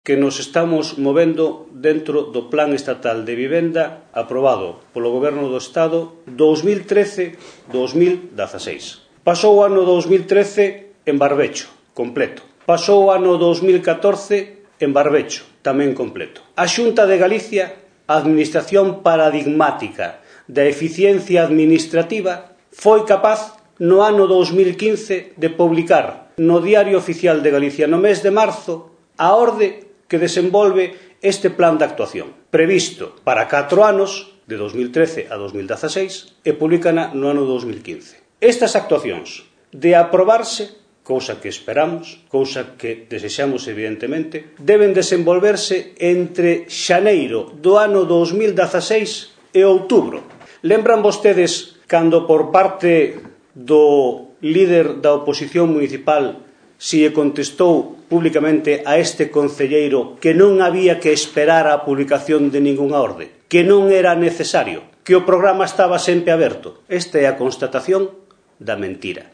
que nos estamos movendo dentro do Plan Estatal de Vivenda aprobado polo Goberno do Estado 2013-2016. Pasou o ano 2013 en barbecho, completo. Pasou o ano 2014 en barbecho, tamén completo. A Xunta de Galicia, a administración paradigmática da eficiencia administrativa, foi capaz no ano 2015 de publicar no Diario Oficial de Galicia no mes de marzo a orde que desenvolve este plan de actuación, previsto para 4 anos, de 2013 a 2016, e publicana no ano 2015. Estas actuacións, de aprobarse, cousa que esperamos, cousa que desexamos evidentemente, deben desenvolverse entre xaneiro do ano 2016 e outubro. Lembran vostedes cando por parte do líder da oposición municipal se contestou públicamente a este concelleiro que non había que esperar a publicación de ningunha orde, que non era necesario, que o programa estaba sempre aberto? Esta é a constatación da mentira.